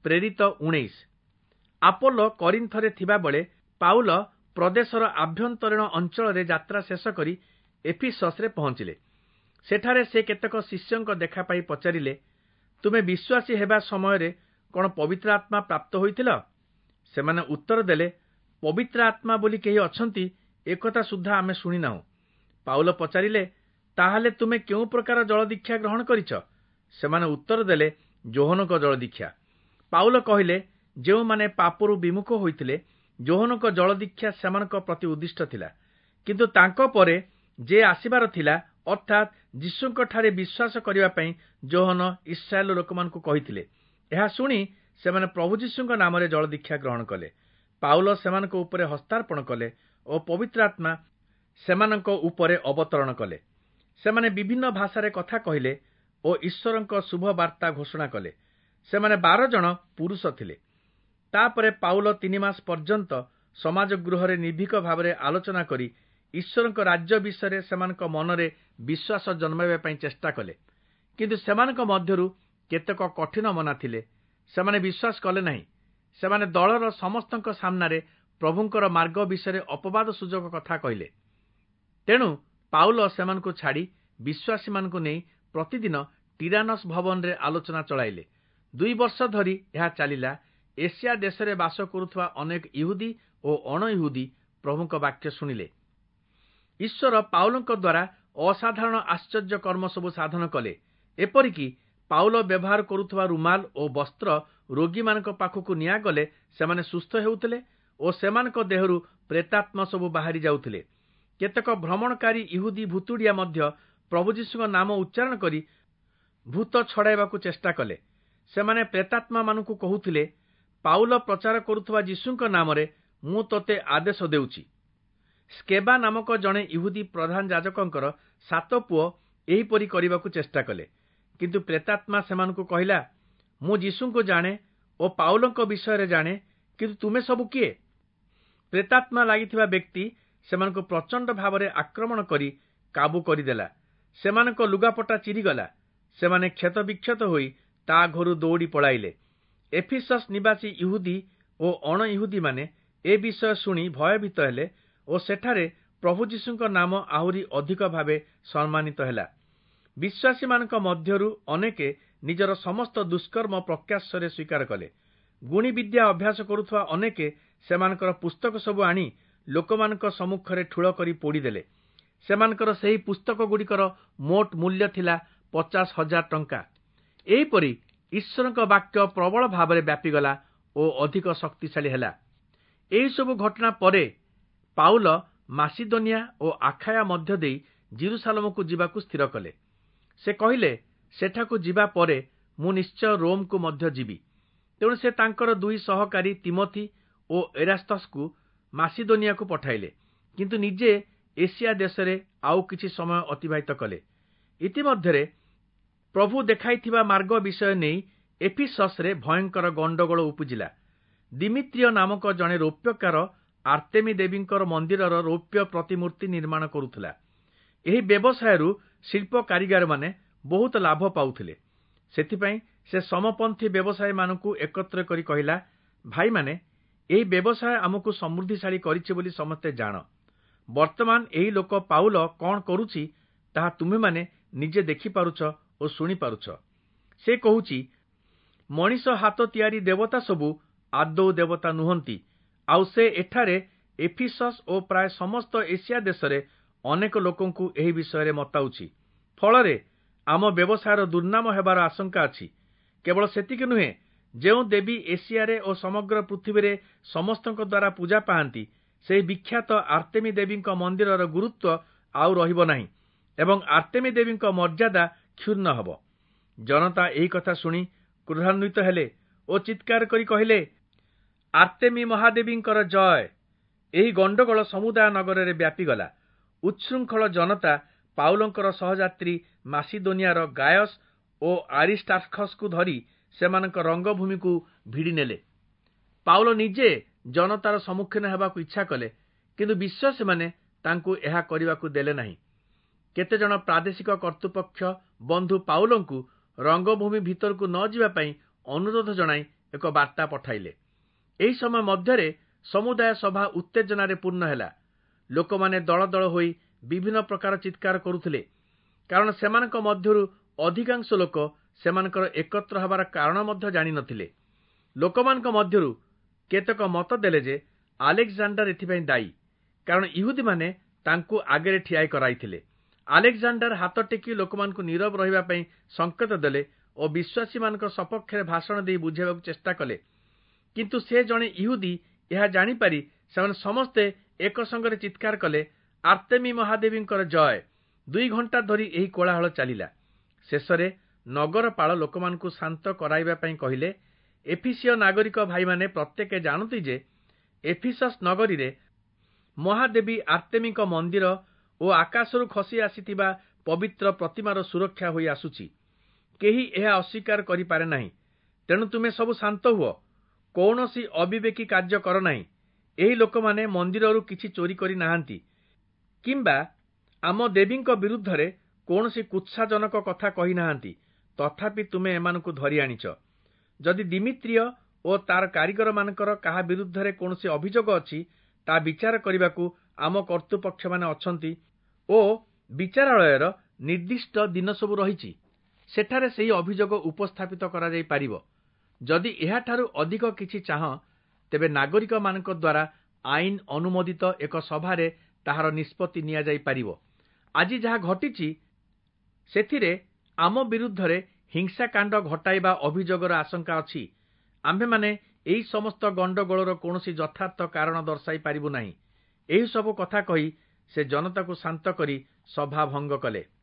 ପ୍ରେରିତ 19। ଆପୋଲୋ କରିନ୍ଥରେ ଥିବାବେଳେ ପାଉଲ ପ୍ରଦେଶର ଆଭ୍ୟନ୍ତରୀଣ ଅଞ୍ଚଳରେ ଯାତ୍ରା ଶେଷ କରି ଏଫିସସ୍‌ରେ ପହଞ୍ଚିଲେ। ସେଠାରେ ସେ କେତେକ ଶିଷ୍ୟଙ୍କ ଦେଖା ପାଇ ପଚାରିଲେ, ତୁମେ ବିଶ୍ୱାସୀ ହେବା ସମୟରେ କଣ ପବିତ୍ର ଆତ୍ମା ପ୍ରାପ୍ତ ହୋଇଥିଲ? ସେମାନେ ଉତ୍ତର ଦେଲେ, ପବିତ୍ର ଆତ୍ମା ବୋଲି କେହି ଅଛନ୍ତି ଏକଥା ସୁଦ୍ଧା ଆମେ ଶୁଣିନାହୁଁ। ପାଉଲ ପଚାରିଲେ, ତାହେଲେ ତୁମେ କେଉଁ ପ୍ରକାର ଜଳଦୀକ୍ଷା ଗ୍ରହଣ କରିଛ? ସେମାନେ ଉତ୍ତର ଦେଲେ, ଯୋହନଙ୍କ ଜଳଦୀକ୍ଷା। ପାଉଲ କହିଲେ, ଯେଉଁମାନେ ପାପରୁ ବିମୁଖ ହୋଇଥିଲେ ଯୋହନଙ୍କ ଜଳଦୀକ୍ଷା ସେମାନଙ୍କ ପ୍ରତି ଉଦ୍ଦିଷ୍ଟ ଥିଲା। କିନ୍ତୁ ତାଙ୍କ ପରେ ଯେ ଆସିବାର ଥିଲା, ଅର୍ଥାତ୍ ଯୀଶୁଙ୍କଠାରେ ବିଶ୍ୱାସ କରିବା ପାଇଁ ଯୋହନ ଇସ୍ରାଏଲ ଲୋକମାନଙ୍କୁ କହିଥିଲେ। ଏହା ଶୁଣି ସେମାନେ ପ୍ରଭୁ ଯୀଶୁଙ୍କ ନାମରେ ଜଳଦୀକ୍ଷା ଗ୍ରହଣ କଲେ। ପାଉଲ ସେମାନଙ୍କ ଉପରେ ହସ୍ତାର୍ପଣ କଲେ ଓ ପବିତ୍ର ଆତ୍ମା ସେମାନଙ୍କ ଉପରେ ଅବତରଣ କଲେ। ସେମାନେ ବିଭିନ୍ନ ଭାଷାରେ କଥା କହିଲେ ଓ ଈଶ୍ୱରଙ୍କ ଶୁଭ ବାର୍ତ୍ତା ଘୋଷଣା କଲେ। ସେମାନେ 12 ଜଣ ପୁରୁଷ ଥିଲେ। ତାପରେ ପାଉଲ 3 ମାସ ପର୍ଯ୍ୟନ୍ତ ସମାଜ ଗୃହରେ ନିର୍ଭୀକ ଭାବରେ ଆଲୋଚନା କରି ଈଶ୍ୱରଙ୍କ ରାଜ୍ୟ ବିଷୟରେ ସେମାନଙ୍କ ମନରେ ବିଶ୍ୱାସ ଜନ୍ମାଇବା ପାଇଁ ଚେଷ୍ଟା କଲେ। କିନ୍ତୁ ସେମାନଙ୍କ ମଧ୍ୟରୁ କେତେକ କଠିନ ମନା ଥିଲେ, ସେମାନେ ବିଶ୍ୱାସ କଲେ ନାହିଁ। ସେମାନେ ଦଳର ସମସ୍ତଙ୍କ ସାମ୍ନାରେ ପ୍ରଭୁଙ୍କର ମାର୍ଗ ବିଷୟରେ ଅପବାଦ ସୂଚକ କଥା କହିଲେ। ତେଣୁ ପାଉଲ ସେମାନଙ୍କୁ ଛାଡ଼ି ବିଶ୍ୱାସୀମାନଙ୍କୁ ନେଇ ପ୍ରତିଦିନ ଟିରାନସ୍ ଭବନରେ ଆଲୋଚନା ଚଳାଇଲେ। 2 ବର୍ଷ ଧରି ଏହା ଚାଲିଲା। ଏସିଆ ଦେଶରେ ବାସ କରୁଥିବା ଅନେକ ଇହୁଦୀ ଓ ଅଣଇହୁଦୀ ପ୍ରଭୁଙ୍କ ବାକ୍ୟ ଶୁଣିଲେ। ଈଶ୍ୱର ପାଉଲଙ୍କ ଦ୍ୱାରା ଅସାଧାରଣ ଆଶ୍ଚର୍ଯ୍ୟ କର୍ମ ସବୁ ସାଧନ କଲେ। ଏପରିକି ପାଉଲ ବ୍ୟବହାର କରୁଥିବା ରୁମାଲ ଓ ବସ୍ତ୍ର ରୋଗୀମାନଙ୍କ ପାଖକୁ ନିଆଗଲେ ସେମାନେ ସୁସ୍ଥ ହେଉଥିଲେ ଓ ସେମାନଙ୍କ ଦେହରୁ ପ୍ରେତାତ୍ମା ସବୁ ବାହାରି ଯାଉଥିଲେ। କେତେକ ଭ୍ରମଣକାରୀ ଇହୁଦୀ ଭୁତୁଡ଼ିଆ ମଧ୍ୟ ପ୍ରଭୁ ଯୀଶୁଙ୍କ ନାମ ଉଚ୍ଚାରଣ କରି ଭୂତ ଛଡ଼ାଇବାକୁ ଚେଷ୍ଟା କଲେ। ସେମାନେ ପ୍ରେତାତ୍ମାମାନଙ୍କୁ କହୁଥିଲେ, ପାଉଲ ପ୍ରଚାର କରୁଥିବା ଯୀଶୁଙ୍କ ନାମରେ ମୁଁ ତୋତେ ଆଦେଶ ଦେଉଛି। ସ୍କେବା ନାମକ ଜଣେ ଇହୁଦୀ ପ୍ରଧାନ ଯାଜକଙ୍କର 7 ପୁଅ ଏହିପରି କରିବାକୁ ଚେଷ୍ଟା କଲେ। କିନ୍ତୁ ପ୍ରେତାତ୍ମା ସେମାନଙ୍କୁ କହିଲା, ମୁଁ ଯୀଶୁଙ୍କୁ ଜାଣେ ଓ ପାଉଲଙ୍କ ବିଷୟରେ ଜାଣେ, କିନ୍ତୁ ତୁମେ ସବୁ କିଏ? ପ୍ରେତାତ୍ମା ଲାଗିଥିବା ବ୍ୟକ୍ତି ସେମାନଙ୍କୁ ପ୍ରଚଣ୍ଡ ଭାବରେ ଆକ୍ରମଣ କରି କାବୁ କରିଦେଲା। ସେମାନଙ୍କ ଲୁଗାପଟା ଚିରିଗଲା। ସେମାନେ କ୍ଷତବିକ୍ଷତ ହୋଇ ତା ଘରୁ ଦୌଡ଼ି ପଳାଇଲେ। ଏଫିସସ୍ ନିବାସୀ ଇହୁଦୀ ଓ ଅଣଇହୁଦୀମାନେ ଏ ବିଷୟ ଶୁଣି ଭୟଭୀତ ହେଲେ ଓ ସେଠାରେ ପ୍ରଭୁ ଯୀଶୁଙ୍କ ନାମ ଆହୁରି ଅଧିକ ଭାବେ ସମ୍ମାନିତ ହେଲା। ବିଶ୍ୱାସୀମାନଙ୍କ ମଧ୍ୟରୁ ଅନେକେ ନିଜର ସମସ୍ତ ଦୁଷ୍କର୍ମ ପ୍ରକାଶ୍ୟରେ ସ୍ୱୀକାର କଲେ। ଗୁଣିବିଦ୍ୟା ଅଭ୍ୟାସ କରୁଥିବା ଅନେକେ ସେମାନଙ୍କର ପୁସ୍ତକ ସବୁ ଆଣି ଲୋକମାନଙ୍କ ସମ୍ମୁଖରେ ଠୁଳ କରି ପୋଡ଼ିଦେଲେ। ସେମାନଙ୍କର ସେହି ପୁସ୍ତକଗୁଡ଼ିକର ମୋଟ ମୂଲ୍ୟ ଥିଲା 50,000 ଟଙ୍କା। ଏହିପରି ଈଶ୍ୱରଙ୍କ ବାକ୍ୟ ପ୍ରବଳ ଭାବରେ ବ୍ୟାପିଗଲା ଓ ଅଧିକ ଶକ୍ତିଶାଳୀ ହେଲା। ଏହିସବୁ ଘଟଣା ପରେ ପାଉଲ ମାସିଦୋନିଆ ଓ ଆଖାୟା ମଧ୍ୟ ଦେଇ ଜିରୁସାଲମକୁ ଯିବାକୁ ସ୍ଥିର କଲେ। ସେ କହିଲେ, ସେଠାକୁ ଯିବା ପରେ ମୁଁ ନିଶ୍ଚୟ ରୋମକୁ ମଧ୍ୟ ଯିବି। ତେଣୁ ସେ ତାଙ୍କର 2 ସହକାରୀ ତିମୋଥି ଓ ଏରାସ୍ତସକୁ ମାସିଦୋନିଆକୁ ପଠାଇଲେ, କିନ୍ତୁ ନିଜେ ଏସିଆ ଦେଶରେ ଆଉ କିଛି ସମୟ ଅତିବାହିତ କଲେ। ଇତିମଧ୍ୟରେ ପ୍ରଭୁ ଦେଖାଇଥିବା ମାର୍ଗ ବିଷୟ ନେଇ ଏଫିସସ୍‌ରେ ଭୟଙ୍କର ଗଣ୍ଡଗୋଳ ଉପୁଜିଲା। ଦିମିତ୍ରିୟ ନାମକ ଜଣେ ରୌପ୍ୟକାର ଆର୍ତେମୀ ଦେବୀଙ୍କର ମନ୍ଦିରର ରୌପ୍ୟ ପ୍ରତିମୂର୍ତ୍ତି ନିର୍ମାଣ କରୁଥିଲା। ଏହି ବ୍ୟବସାୟରୁ ଶିଳ୍ପ କାରିଗରମାନେ ବହୁତ ଲାଭ ପାଉଥିଲେ। ସେଥିପାଇଁ ସେ ସମପନ୍ଥୀ ବ୍ୟବସାୟୀମାନଙ୍କୁ ଏକତ୍ର କରି କହିଲା, ଭାଇମାନେ, ଏହି ବ୍ୟବସାୟ ଆମକୁ ସମୃଦ୍ଧିଶାଳୀ କରିଛି ବୋଲି ସମସ୍ତେ ଜାଣ। ବର୍ତ୍ତମାନ ଏହି ଲୋକ ପାଉଲ କଣ କରୁଛି ତାହା ତୁମେମାନେ ନିଜେ ଦେଖିପାରୁଛ ଓ ଶୁଣିପାରୁଛ। ସେ କହୁଛି, ମଣିଷ ହାତ ତିଆରି ଦେବତା ସବୁ ଆଦୌ ଦେବତା ନୁହନ୍ତି। ଆଉ ସେ ଏଠାରେ ଏଫିସସ୍ ଓ ପ୍ରାୟ ସମସ୍ତ ଏସିଆ ଦେଶରେ ଅନେକ ଲୋକଙ୍କୁ ଏହି ବିଷୟରେ ମତାଉଛି। ଫଳରେ ଆମ ବ୍ୟବସାୟର ଦୁର୍ନାମ ହେବାର ଆଶଙ୍କା ଅଛି। କେବଳ ସେତିକି ନୁହେଁ, ଯେଉଁ ଦେବୀ ଏସିଆରେ ଓ ସମଗ୍ର ପୃଥିବୀରେ ସମସ୍ତଙ୍କ ଦ୍ୱାରା ପୂଜା ପାଆନ୍ତି, ସେହି ବିଖ୍ୟାତ ଆର୍ତେମୀ ଦେବୀଙ୍କ ମନ୍ଦିରର ଗୁରୁତ୍ୱ ଆଉ ରହିବ ନାହିଁ ଏବଂ ଆର୍ତେମୀ ଦେବୀଙ୍କ ମର୍ଯ୍ୟାଦା କ୍ଷୁଣ୍ଣ ହେବ। ଜନତା ଏହି କଥା ଶୁଣି କ୍ରୋଧାନ୍ୱିତ ହେଲେ ଓ ଚିତ୍କାର କରି କହିଲେ, ଆର୍ତେମୀ ମହାଦେବୀଙ୍କର ଜୟ। ଏହି ଗଣ୍ଡଗୋଳ ସମୁଦାୟ ନଗରରେ ବ୍ୟାପିଗଲା। ଉଚ୍ଛୃଙ୍ଖଳ ଜନତା ପାଉଲଙ୍କର ସହଯାତ୍ରୀ ମାସିଦୋନିଆର ଗାୟସ୍ ଓ ଆରିଷ୍ଟାର୍ଖସକୁ ଧରି ସେମାନଙ୍କ ରଙ୍ଗଭୂମିକୁ ଭିଡ଼ିନେଲେ। ପାଉଲ ନିଜେ ଜନତାର ସମ୍ମୁଖୀନ ହେବାକୁ ଇଚ୍ଛା କଲେ, କିନ୍ତୁ ବିଶ୍ୱାସୀମାନେ ତାଙ୍କୁ ଏହା କରିବାକୁ ଦେଲେ ନାହିଁ। କେତେଜଣ ପ୍ରାଦେଶିକ କର୍ତ୍ତୃପକ୍ଷ ବନ୍ଧୁ ପାଉଲଙ୍କୁ ରଙ୍ଗଭୂମି ଭିତରକୁ ନ ଯିବା ପାଇଁ ଅନୁରୋଧ ଜଣାଇ ଏକ ବାର୍ତ୍ତା ପଠାଇଲେ। ଏହି ସମୟ ମଧ୍ୟରେ ସମୁଦାୟ ସଭା ଉତ୍ତେଜନାରେ ପୂର୍ଣ୍ଣ ହେଲା। ଲୋକମାନେ ଦଳ ଦଳ ହୋଇ ବିଭିନ୍ନ ପ୍ରକାର ଚିତ୍କାର କରୁଥିଲେ, କାରଣ ସେମାନଙ୍କ ମଧ୍ୟରୁ ଅଧିକାଂଶ ଲୋକ ସେମାନଙ୍କର ଏକତ୍ର ହେବାର କାରଣ ମଧ୍ୟ ଜାଣିନଥିଲେ। ଲୋକମାନଙ୍କ ମଧ୍ୟରୁ କେତେକ ମତ ଦେଲେ ଯେ ଆଲେକ୍ଜାଣ୍ଡାର ଏଥିପାଇଁ ଦାୟୀ, କାରଣ ଇହୁଦୀମାନେ ତାଙ୍କୁ ଆଗରେ ଠିଆ କରାଇଥିଲେ। ଆଲେକ୍ଜାଣ୍ଡାର ହାତ ଟେକି ଲୋକମାନଙ୍କୁ ନୀରବ ରହିବା ପାଇଁ ସଂକେତ ଦେଲେ ଓ ବିଶ୍ୱାସୀମାନଙ୍କ ସପକ୍ଷରେ ଭାଷଣ ଦେଇ ବୁଝାଇବାକୁ ଚେଷ୍ଟା କଲେ। କିନ୍ତୁ ସେ ଜଣେ ଇହୁଦୀ ଏହା ଜାଣିପାରି ସେମାନେ ସମସ୍ତେ ଏକ ସଙ୍ଗରେ ଚିତ୍କାର କଲେ, ଆର୍ତେମୀ ମହାଦେବୀଙ୍କର ଜୟ। 2 ଘଣ୍ଟା ଧରି ଏହି କୋଳାହଳ ଚାଲିଲା। ଶେଷରେ ନଗରପାଳ ଲୋକମାନଙ୍କୁ ଶାନ୍ତ କରାଇବା ପାଇଁ କହିଲେ, ଏଫିସୀୟ ନାଗରିକ ଭାଇମାନେ ପ୍ରତ୍ୟେକେ ଜାଣନ୍ତି ଯେ ଏଫିସସ୍ ନଗରୀରେ ମହାଦେବୀ ଆର୍ତେମୀଙ୍କ ମନ୍ଦିର ଓ ଆକାଶରୁ ଖସି ଆସିଥିବା ପବିତ୍ର ପ୍ରତିମାର ସୁରକ୍ଷା ହୋଇ ଆସୁଛି। କେହି ଏହା ଅସ୍ୱୀକାର କରିପାରେ ନାହିଁ। ତେଣୁ ତୁମେ ସବୁ ଶାନ୍ତ ହୁଅ, କୌଣସି ଅବିବେକୀ କାର୍ଯ୍ୟ କର ନାହିଁ। ଏହି ଲୋକମାନେ ମନ୍ଦିରରୁ କିଛି ଚୋରି କରି ନାହାନ୍ତି କିମ୍ବା ଆମ ଦେବୀଙ୍କ ବିରୁଦ୍ଧରେ କୌଣସି କୁତ୍ସାଜନକ କଥା କହିନାହାନ୍ତି, ତଥାପି ତୁମେ ଏମାନଙ୍କୁ ଧରି ଆଣିଛ। ଯଦି ଦିମିତ୍ରିୟ ଓ ତାର କାରିଗରମାନଙ୍କର କାହା ବିରୁଦ୍ଧରେ କୌଣସି ଅଭିଯୋଗ ଅଛି, ତା ବିଚାର କରିବାକୁ ଆମ କର୍ତ୍ତୃପକ୍ଷମାନେ ଅଛନ୍ତି ଓ ବିଚାରାଳୟର ନିର୍ଦ୍ଦିଷ୍ଟ ଦିନ ସବୁ ରହିଛି। ସେଠାରେ ସେହି ଅଭିଯୋଗ ଉପସ୍ଥାପିତ କରାଯାଇପାରିବ। ଯଦି ଏହାଠାରୁ ଅଧିକ କିଛି ଚାହଁ, ତେବେ ନାଗରିକମାନଙ୍କ ଦ୍ୱାରା ଆଇନ ଅନୁମୋଦିତ ଏକ ସଭାରେ ତାହାର ନିଷ୍ପତ୍ତି ନିଆଯାଇପାରିବ। ଆଜି ଯାହା ଘଟିଛି ସେଥିରେ ଆମ ବିରୁଦ୍ଧରେ ହିଂସାକାଣ୍ଡ ଘଟାଇବା ଅଭିଯୋଗର ଆଶଙ୍କା ଅଛି। ଆମ୍ଭେମାନେ ଏହି ସମସ୍ତ ଗଣ୍ଡଗୋଳର କୌଣସି ଯଥାର୍ଥ କାରଣ ଦର୍ଶାଇ ପାରିବୁ ନାହିଁ। ଏହିସବୁ କଥା କହି ସେ ଜନତାକୁ ଶାନ୍ତ କରି ସଭା ଭଙ୍ଗ କଲେ।